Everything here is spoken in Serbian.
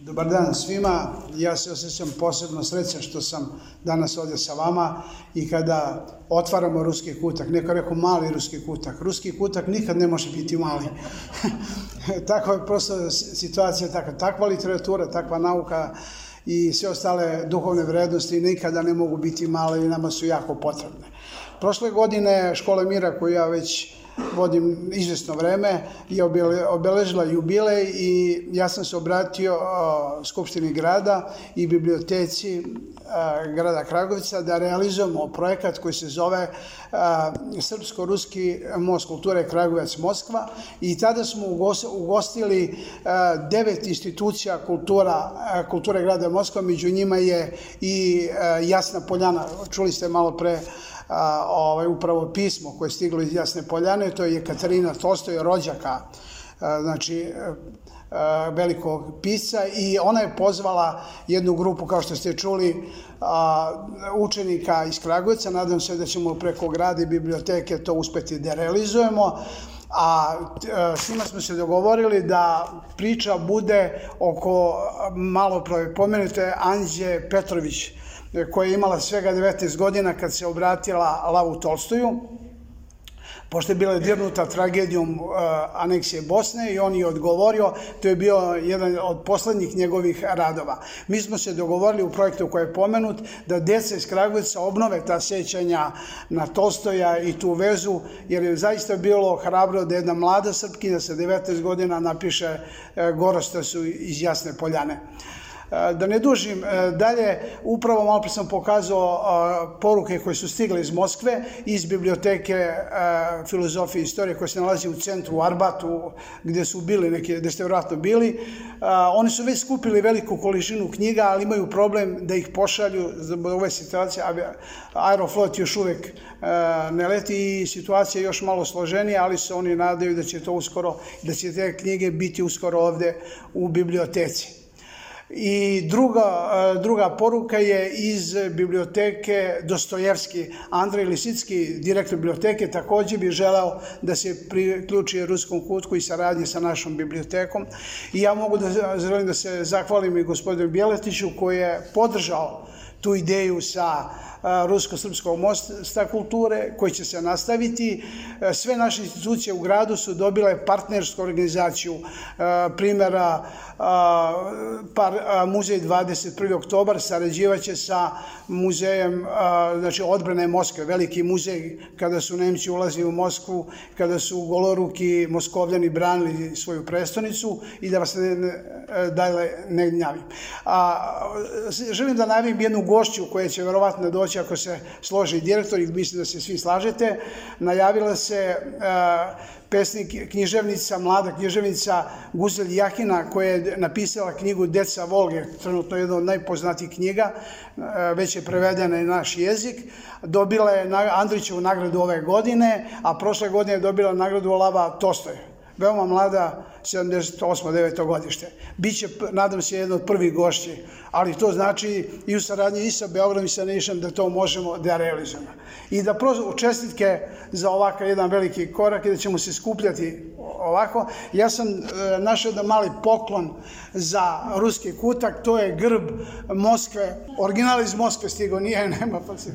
Dobar dan svima, ja se osjećam posebno srećan što sam danas ovdje sa vama i kada otvaramo Ruski kutak, neko je rekao mali Ruski kutak, Ruski kutak nikad ne može biti mali. Takva je prosto situacija, takva literatura, takva nauka i sve ostale duhovne vrednosti nikada ne mogu biti male i nama su jako potrebne. Prošle godine Škola mira koju ja već vodim izvjesno vreme je obeležila jubilej i ja sam se obratio Skupštini grada i biblioteci grada Kragujevca da realizujemo projekat koji se zove Srpsko-ruski most kulture Kragujevac-Moskva i tada smo ugostili 9 institucija kulture grada Moskva, među njima je i Jasna Poljana, čuli ste malo pre upravo pismo koje je stiglo iz Jasne Poljane, to je Katarina Tolstoj, rođaka, znači velikog pisca, i ona je pozvala jednu grupu, kao što ste čuli, učenika iz Kragujevca. Nadam se da ćemo preko grada i biblioteke to uspeti da realizujemo, a s njima smo se dogovorili da priča bude oko malo pomenute Anđe Petrović, koja je imala svega 19 godina kad se obratila Lavu Tolstoju, pošto je bila dirnuta tragedijom aneksije Bosne, i on je odgovorio. To je bio jedan od poslednjih njegovih radova. Mi smo se dogovorili u projektu koji je pomenut da deca iz Kragujevca obnove ta sećanja na Tolstoja i tu vezu, jer je zaista bilo hrabro da jedna mlada Srpkinja sa 19 godina napiše Gorostasu iz Jasne Poljane. Da ne dužim dalje, upravo malo pre sam pokazao poruke koje su stigle iz Moskve, iz biblioteke filozofije i istorije koja se nalazi u centru, u Arbatu, gde su bili neki, gde ste vjerojatno bili. Oni su već skupili veliku količinu knjiga, ali imaju problem da ih pošalju zbog ove situacije. Aeroflot još uvek ne leti i situacija je još malo složenija, ali se oni nadaju da će to uskoro, da će te knjige biti uskoro ovde u biblioteci. I druga poruka je iz biblioteke Dostojevski. Andrej Lisicki, direktor biblioteke, takođe bi želeo da se priključi Ruskom kutku i saradnji sa našom bibliotekom. I ja mogu da želim da se zahvalim i gospodinu Bjeletiću koji je podržao tu ideju sa Rusko-srpskog mosta kulture koji će se nastaviti. Sve naše institucije u gradu su dobile partnersku organizaciju, primjera muzej 21. oktobar sarađivaće sa muzejem odbrane Moskve, veliki muzej kada su Nemci ulazili u Moskvu, kada su goloruki Moskovljani branili svoju prestonicu, i da vas ne gnjavim. Želim da najavim jednu gošću koja će verovatno doći ako se složi direktor, i mislim da se svi slažete. Najavila se pesnik, književnica, mlada književnica Guzel Jahina, koja je napisala knjigu Deca Volge, trenutno jedna od najpoznatijih knjiga, već je prevedena i na naš jezik. Dobila je Andrićevu nagradu ove godine, a prošle godine je dobila nagradu Lava Tolstoja. Veoma mlada, 78. 9. godište. Biće, nadam se, jedna od prvih gošći, ali to znači i u saradnji i sa Beogradom i sa Nišom da to možemo da realizujemo. I da čestitke za ovakav jedan veliki korak i da ćemo se skupljati ovako. Ja sam našao jedan mali poklon za Ruski kutak, to je grb Moskve, original iz Moskve stigo, nije, nema pa se...